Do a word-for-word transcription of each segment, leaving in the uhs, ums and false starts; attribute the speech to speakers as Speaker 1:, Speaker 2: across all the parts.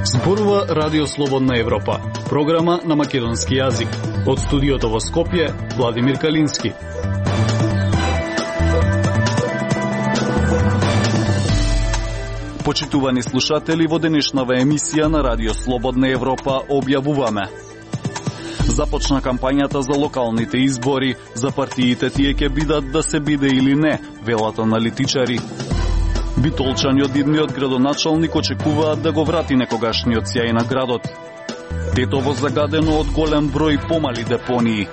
Speaker 1: Зборува Радио Слободна Европа, програма на македонски јазик. Од студиото во Скопје, Владимир Калински. Почитувани слушатели, во денешнава емисија на Радио Слободна Европа објавуваме: започна кампањата за локалните избори, за партиите тие ќе бидат да се биде или не, велат аналитичари. Битолчани од идниот градоначалник очекуваат да го врати некогашниот сјај на градот. Тетово загадено од голем број помали депонии.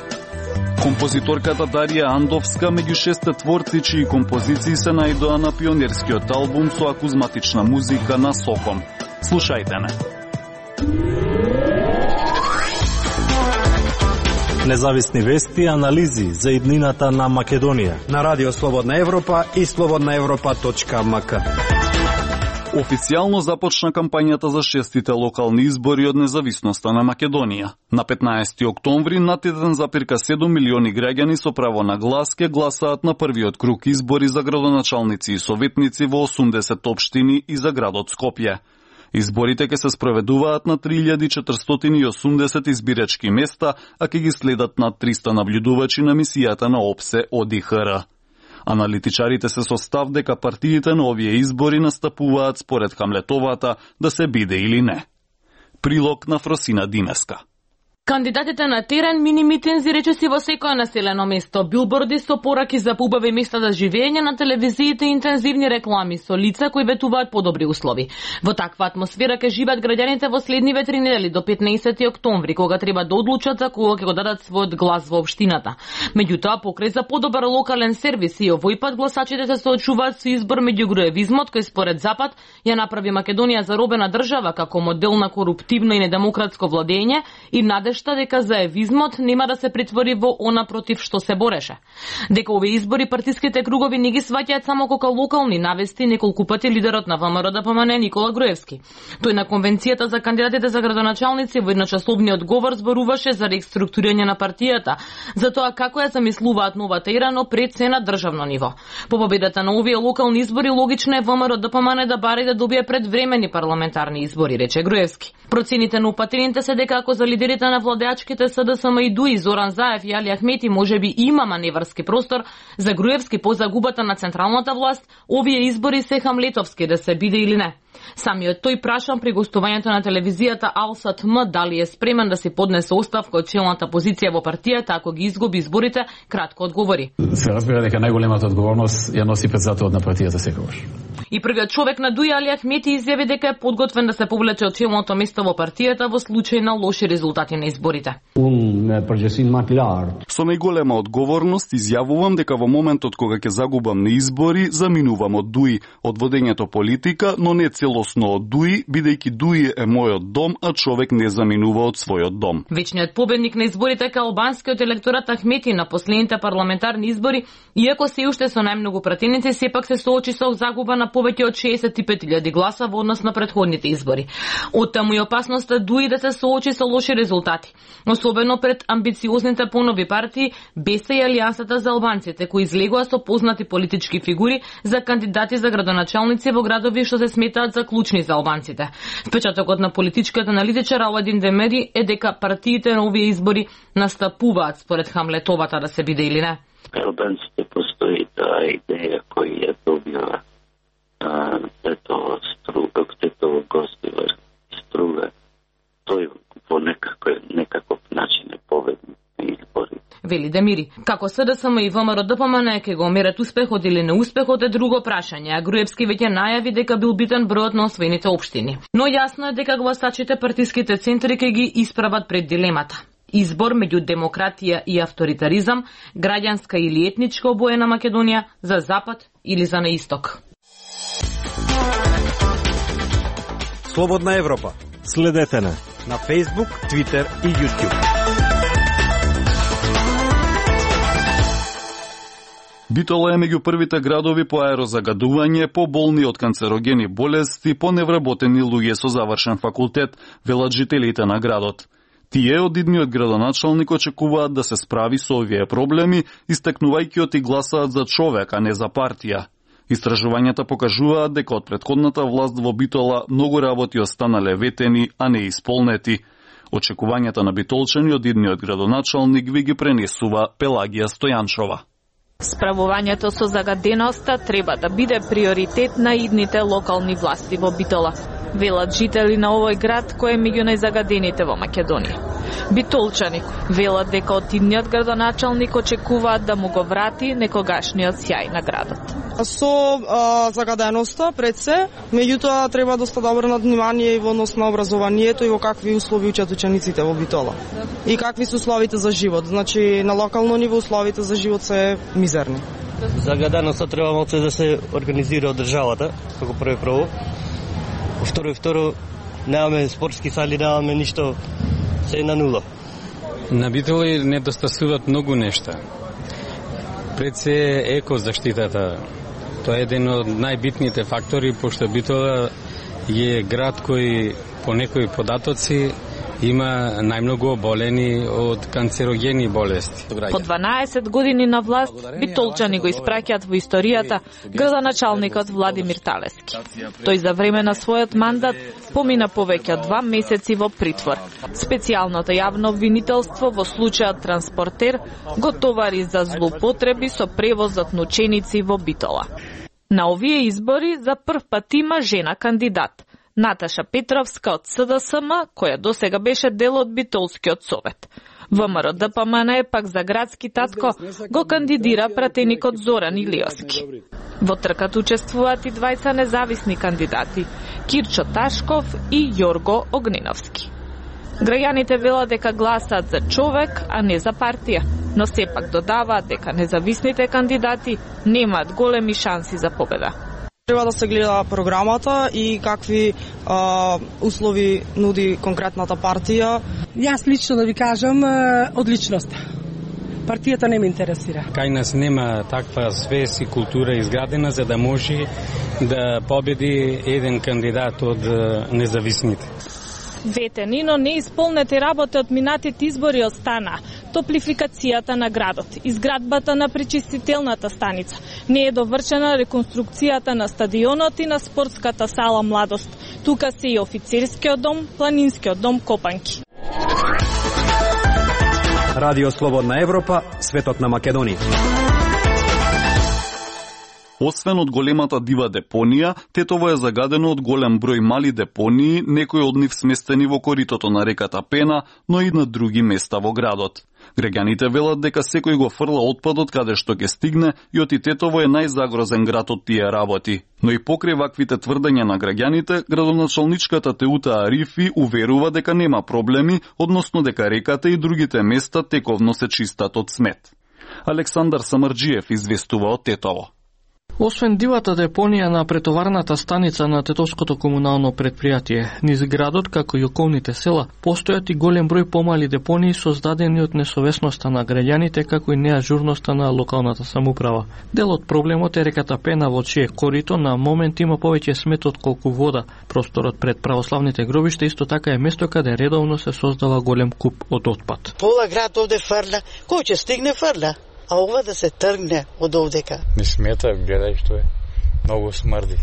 Speaker 1: Композиторката Дарија Андовска меѓу шесте творци чии композиции се најдоа на пионерскиот албум со акузматична музика на Соком. Слушајте не.
Speaker 2: Независни вести и анализи за иднината на Македонија
Speaker 3: на Радио Слободна Европа и слободна европа точка ем ка.
Speaker 1: Официјално започна кампањата за шестите локални избори од независноста на Македонија. На петнаесети октомври над еден запирка седум милиони граѓани со право на глас ќе гласаат на првиот круг избори за градоначалници и советници во осумдесет општини и за градот Скопје. Изборите ќе се спроведуваат на три илјади четиристотини и осумдесет избирачки места, а ќе ги следат над триста наблюдувачи на мисијата на ОПСЕ од И Х Р. Аналитичарите се со став дека партиите на овие избори настапуваат според Хамлетовата да се биде или не. Прилог на Фросина Димеска.
Speaker 4: Кандидатите на терен мини митинзи речиси во секое населено место, билборди со пораки за поубави места за живење, на телевизиите и интензивни реклами со лица кои ветуваат подобри услови. Во таква атмосфера ќе живеат граѓаните во следниве три недели до петнаесети октомври, кога треба да одлучат за кога ќе го дадат својот глас во општината. Меѓутоа, покрај за подобар локален сервис и овој пат гласачите се соочуваат со избор меѓу груевизмот кој според Запад ја направи Македонија заробена држава како модел на коруптивно и недемократско владење и надеж дека заевизмот нема да се претвори во она против што се бореше. Дека овие избори партиските кругови не ги сваќаат само како локални, навести неколку пати лидерот на ВМРО Д П М Н Никола Груевски. Тој на конвенцијата за кандидатите за градоначалници во едночасовниот говор зборуваше за реструктурирање на партијата, за тоа како ја замислуваат новата ера, но пред се на државно ниво. По победата на овие локални избори логично е ВМРО Д П М Н да бари да добие предвремени парламентарни избори, рече Груевски. Процените на упатените се дека ако за лидерите на владеачките С Д С М и Д У И, Зоран Заев и Али Ахмети можеби има маневарски простор, за Груевски по загубата на централната власт, овие избори се хамлетовски да се биде или не. Самиот тој прашан при гостувањето на телевизијата Алсат М дали е спремен да се поднесе оставка од челната позиција во партијата ако ги изгуби изборите, кратко одговори.
Speaker 5: Се разбира дека најголемата одговорност ја носи председателот на партијата секогаш.
Speaker 4: И првиот човек на Д У И, Али Ахмети, изјави дека е подготвен да се повлече од челното место во партијата во случај на лоши резултати на изборите.
Speaker 1: Со најголема одговорност изјавувам дека во моментот кога ќе загубам на избори, заминувам од Д У И, од водењето политика, но не целосно од Д У И, бидејќи Д У И е мојот дом, а човек не заминува од својот дом.
Speaker 4: Вечниот победник на изборите кај албанскиот електорат Ахмети на последните парламентарни избори, иако се уште со најмногу пратеници, сепак се соочи со загуба на повеќе од шеесет и пет илјади гласа во однос на претходните избори. Оттаму и опасноста Д У И да се соочи со лоши резултати, особено пред амбициозните понови партии Б Е С и Алијансата за албанците, кои излегоа со познати политички фигури за кандидати за градоначалници во градови што се сметаат за клучни за албанците. Впечатокот на политичката аналитичар Аладин Демери е дека партиите на овие избори настапуваат според Хамлетовата да се биде или не.
Speaker 6: Албанците постои таа идеја која ја добила Тетово струга, Тетово Гостивар струга. Тој по некаков, некаков начин е победник на избори.
Speaker 4: Вели Демири. Како С Д С М и ВМРО Д П М Н ќе го мерат успехот или неуспехот е друго прашање, а Груевски веќе најави дека бил битен бројот на освоените општини. Но јасно е дека гласачите партиските центри ќе ги исправат пред дилемата. Избор меѓу демократија и авторитаризам, граѓанска или етничка обоена Македонија, за Запад или за на Исток.
Speaker 3: Слободна Европа.
Speaker 2: Следете на
Speaker 3: на Facebook, Twitter и YouTube.
Speaker 1: Битола е меѓу првите градови по аерозагадување, по болни од канцерогени болести, по невработени луѓе со завршен факултет, велат жителите на градот. Тие од идниот градоначалник очекуваат да се справи со овие проблеми, истекнувајќи оти гласаат за човек, а не за партија. Истражувањата покажуваат дека од претходната власт во Битола многу работи останале ветени, а не исполнети. Очекувањата на битолчани од идниот градоначалник ви ги пренесува Пелагија Стојанчова.
Speaker 7: Справувањето со загаденоста треба да биде приоритет на идните локални власти во Битола, велат жители на овој град кој е меѓу најзагадените во Македонија. Битолчани велат дека од идниот градоначалник очекуваат да му го врати некогашниот сјај на градот.
Speaker 8: Со а, загаденоста пред се, меѓутоа треба доста да обрнат внимание и во однос на образованието и во какви услови учат учениците во Битола. И какви се условите за живот. Значи на локално ниво условите за живот се мизерни.
Speaker 9: Загаденоста треба малку да се организира од државата, како прво прво. Второ и второ, немаме спортски сали, немаме ништо, се е на нула.
Speaker 10: На Битола недостасуваат многу нешта. Пред се е екозаштитата. Тоа е еден од најбитните фактори, пошто Битола е град кој по некои податоци има најмногу оболени од канцерогени болести.
Speaker 7: По дванаесет години на власт, битолчани го испраќаат во историјата градоначалникот Владимир Талески. Тој за време на својот мандат помина повеќе од два месеци во притвор. Специјалното јавно обвинителство во случајот транспортер го товари за злоупотреби со превозот на ученици во Битола. На овие избори за прв пат има жена кандидат. Наташа Петровска од С Д С М, која досега беше дел од Битолскиот совет. Вэ М Р Д П М Н пак за градски татко го кандидира пратеникот Зоран Илиовски. Во тркат учествуваат и двајца независни кандидати, Кирчо Ташков и Јорго Огненовски. Граѓаните велат дека гласаат за човек, а не за партија, но сепак додаваат дека независните кандидати немаат големи шанси за победа.
Speaker 8: Треба да се гледа програмата и какви а, услови нуди конкретната партија.
Speaker 11: Јас лично да ви кажам, одличност. Партијата не ме интересира.
Speaker 10: Кај нас нема таква свест и култура изградена за да може да победи еден кандидат од независните.
Speaker 7: Ветени, но неисполнети работи од минатите избори остана. Топлификацијата на градот, изградбата на пречистителната станица, не е довршена реконструкцијата на стадионот и на спортската сала Младост. Тука се и офицерскиот дом, планинскиот дом Копанки.
Speaker 3: Радио Слободна Европа, светот на Македонија.
Speaker 1: Освен од големата дива депонија, Тетово е загадено од голем број мали депонии, некои од нив сместени во коритото на реката Пена, но и на други места во градот. Граѓаните велат дека секој го фрла отпадот каде што ќе стигне и оти Тетово е најзагрозен град од тие работи. Но и покрај ваквите тврдења на граѓаните, градоначалничката Теута Арифи уверува дека нема проблеми, односно дека реката и другите места тековно се чистат од смет. Александар Самарџиев известува од Тетово.
Speaker 12: Освен дивата депонија на претоварната станица на Тетовското комунално предпријатие, низ градот, како и околните села, постојат и голем број помали депонии создадени од несовесноста на граѓаните, како и неажурноста на локалната самоуправа. Дел од проблемот е реката Пена, во чие корито на момент има повеќе смет од колку вода. Просторот пред православните гробишта исто така е место каде редовно се создава голем куп од отпад.
Speaker 13: Пола град овде фрла, кој ќе стигне фрла? А ова да се тргне од овдека.
Speaker 10: Не смета, гледај што е. Многу смрди.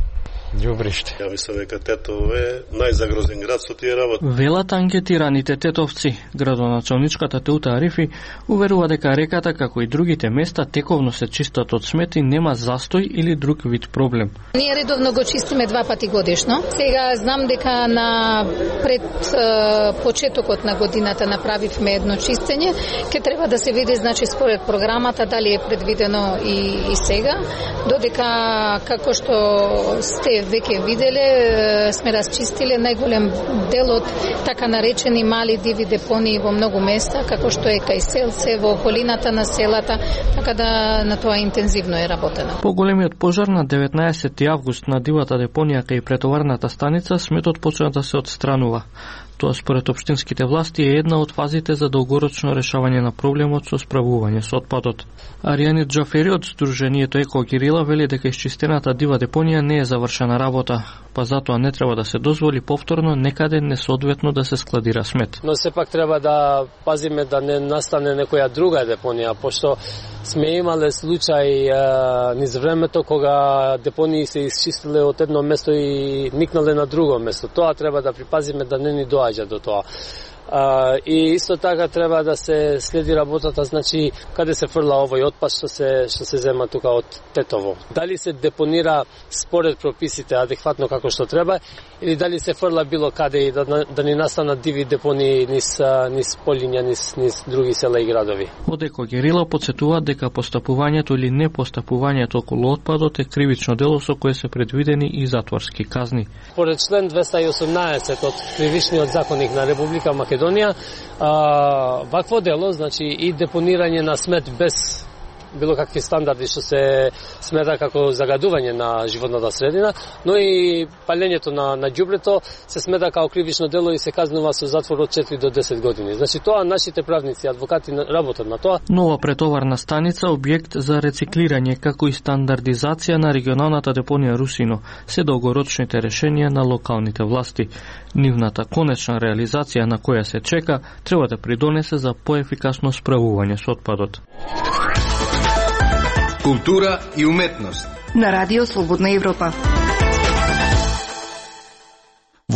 Speaker 10: Ѓубриште.
Speaker 14: Ја мислам дека Тетово е најзагрозен град со тие работи.
Speaker 12: Велат анкетираните тетовци. Градоначалничката Теута Арифи уверува дека реката, како и другите места, тековно се чистат од смет и нема застој или друг вид проблем.
Speaker 15: Ние редовно го чистиме два пати годишно. Сега знам дека на пред е, почетокот на годината направивме едно чистење. Ке треба да се види, значи, според програмата, дали е предвидено и, и сега. Додека, како што сте веќе виделе, сме расчистиле најголем дел од така наречени мали диви депонии во многу места, како што е кај селце, во околината на селата, така да на тоа интензивно е работено.
Speaker 12: По големиот пожар на деветнаесети август на дивата депонија кај претоварната станица, сметот почна да се отстранува. Тоа според општинските власти е една од фазите за долгорочно решавање на проблемот со справување со отпадот. Аријани Џафери од Сдруженијето Еко Кирила вели дека исчистената дива депонија не е завршена работа, па затоа не треба да се дозволи повторно некаде несоодветно да се складира смет.
Speaker 16: Но сепак треба да пазиме да не настане некоја друга депонија, пошто сме имале случај а, низ времето кога депонии се исчистиле од едно место и никнале на друго место. Тоа треба да припазиме да не ни доаѓа до тоа. Uh, и исто така треба да се следи работата, значи каде се фрла овој отпад што се што се зема тука од Тетово. Дали се депонира според прописите адекватно како што треба или дали се фрла било каде и да, да ни настанат диви депонии низ низ полиња, низ низ други села и градови.
Speaker 12: Од Еко Кирила потсетува дека постапувањето или непостапувањето околу отпадот е кривично дело со кое се предвидени и затворски казни.
Speaker 16: Поред член двеста и осумнаесет од Кривичниот законник на Република Македонија Македонија, а, вакво дело, значи и депонирање на смет без било какви стандарди што се смета како загадување на животната средина, но и палењето на на ѓубрето се смета како кривично дело и се казнува со затвор од четири до десет години. Значи тоа нашите правници, адвокати работат на тоа.
Speaker 12: Нова претоварна станица, објект за рециклирање како и стандардизација на регионалната депонија Русино се долгорочните решенија на локалните власти. Нивната конечна реализација на која се чека треба да придонесе за поефикасно справување со отпадот.
Speaker 17: Култура и уметност
Speaker 18: на Радио Слободна Европа.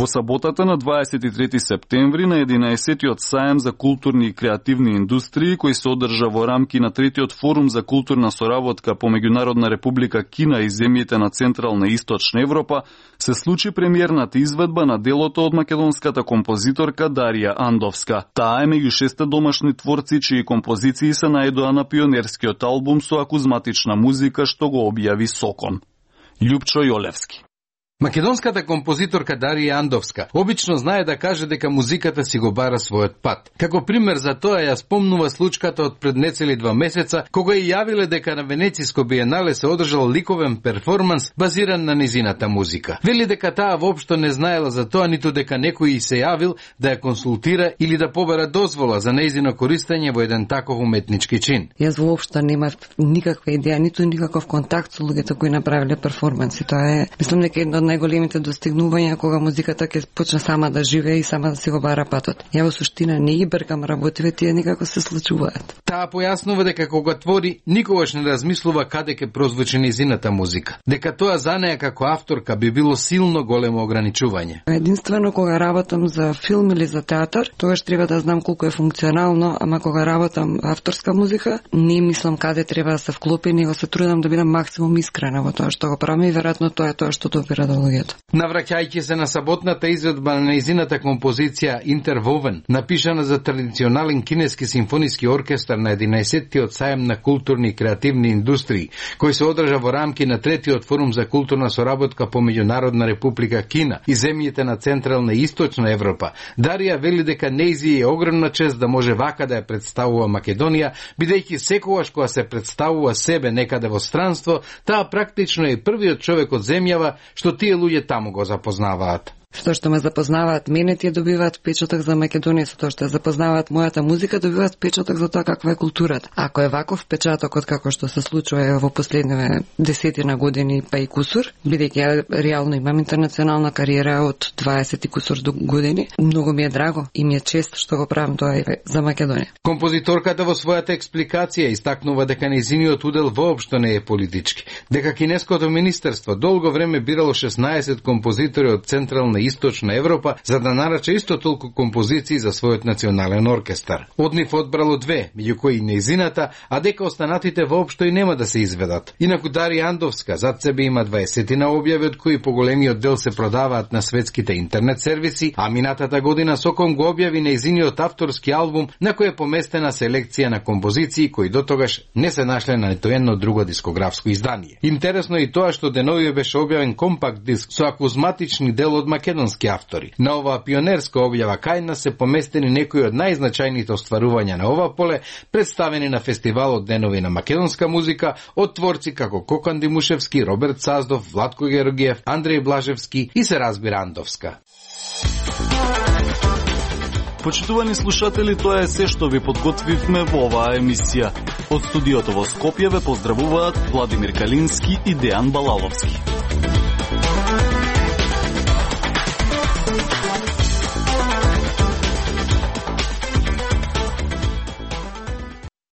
Speaker 1: Во саботата на дваесет и трети септември на единаесеттиот сајам за културни и креативни индустрии, кој се одржа во рамки на третиот форум за културна соработка по Меѓународна република Кина и земјите на Централна и Источна Европа, се случи премиерната изведба на делото од македонската композиторка Дарија Андовска. Таа е меѓу шесте домашни творци чии композиции се најдоа на пионерскиот албум со акузматична музика што го објави Сокон. Љупчо Јолевски.
Speaker 17: Македонската композиторка Дарија Андовска обично знае да каже дека музиката си го бара својот пат. Како пример за тоа ја спомнува случката од пред нецели два месеца, кога ја јавиле дека на Венециско биенале се одржал ликовен перформанс базиран на низината музика. Вели дека таа воопшто не знаела за тоа, ниту дека некој и се јавил да ја консултира или да побара дозвола за нејзино користење во еден таков уметнички чин.
Speaker 19: Јас воопшто немав никаква идеја, ниту никаков контакт со луѓето кои направиле перформанси. Тоа е, мислам дека едно од најголемите достигнувања кога музиката ќе почне сама да живее и сама да си го бара патот. Ја во суштина не ги бркам работиве, тие никако се случуваат.
Speaker 17: Таа појаснува дека кога твори, никогаш не размислува каде ќе прозвучи низината музика. Дека тоа за неја како авторка би било силно големо ограничување.
Speaker 19: Единствено кога работам за филм или за театар, тогаш треба да знам колку е функционално, ама кога работам авторска музика, не мислам каде треба да се вклопи, него се трудам да бидам максимум искрена во тоа што го правам и веројатно тоа е тоа што допира до луѓето.
Speaker 17: Навраќајќи се на саботната изведба на нејзината композиција Интервовен, напишана за традиционален кинески симфониски оркестар на единаесеттиот сајам на културни и креативни индустрии, кој се одржа во рамки на третиот форум за културна соработка по Меѓународна република Кина и земјите на Централна и Источна Европа, Дарија вели дека нејзи е огромна чест да може вака да ја представува Македонија, бидејќи секогаш кога се представува себе некаде во странство, таа практично е првиот човек од земјава што тие луѓе таму го запознаваат.
Speaker 19: Што што ме запознаваат мене, тие добиваат печаток за Македонија, со тоа што ја запознаваат мојата музика, добиваат печаток за тоа каква е културата. Ако е ваков печатокот како што се случува во последниве десетина години па и кусур, бидејќи ја реално имам интернационална кариера од дваесет и кусур години, многу ми е драго и ми е чест што го правам тоа и за Македонија.
Speaker 17: Композиторката во својата експликација истакнува дека нејзиниот удел воопшто не е политички, дека кинеското министерство долго време бирало шеснаесет композитори од Централна и Источна Европа за да нарача исто толку композиции за својот национален оркестар. Од нив одбрало две, меѓу кои нејзината, а дека останатите воопшто и нема да се изведат. Инаку Дарија Андовска зад себе има дваесетина објави, од кои поголемиот дел се продаваат на светските интернет сервиси, а минатата година Соком го објави нејзиниот авторски албум на кој е поместена селекција на композиции кои дотогаш не се нашле на нито едно друго дискографско издание. Интересно е и тоа што денови беше објавен компакт диск со акузматични дел од македонски автори. На оваа пионерска објава кај нас се поместени некои од најзначајните остварувања на ова поле, представени на фестивалот Денови на македонска музика од творци како Кокан Димушевски, Роберт Саздов, Владко Георгиев, Андреј Блажевски и се разбира Андовска.
Speaker 1: Почитувани слушатели, тоа е се што ви подготвивме во оваа емисија. Од студиото во Скопје ве поздравуваат Владимир Калински и Дејан Балаловски.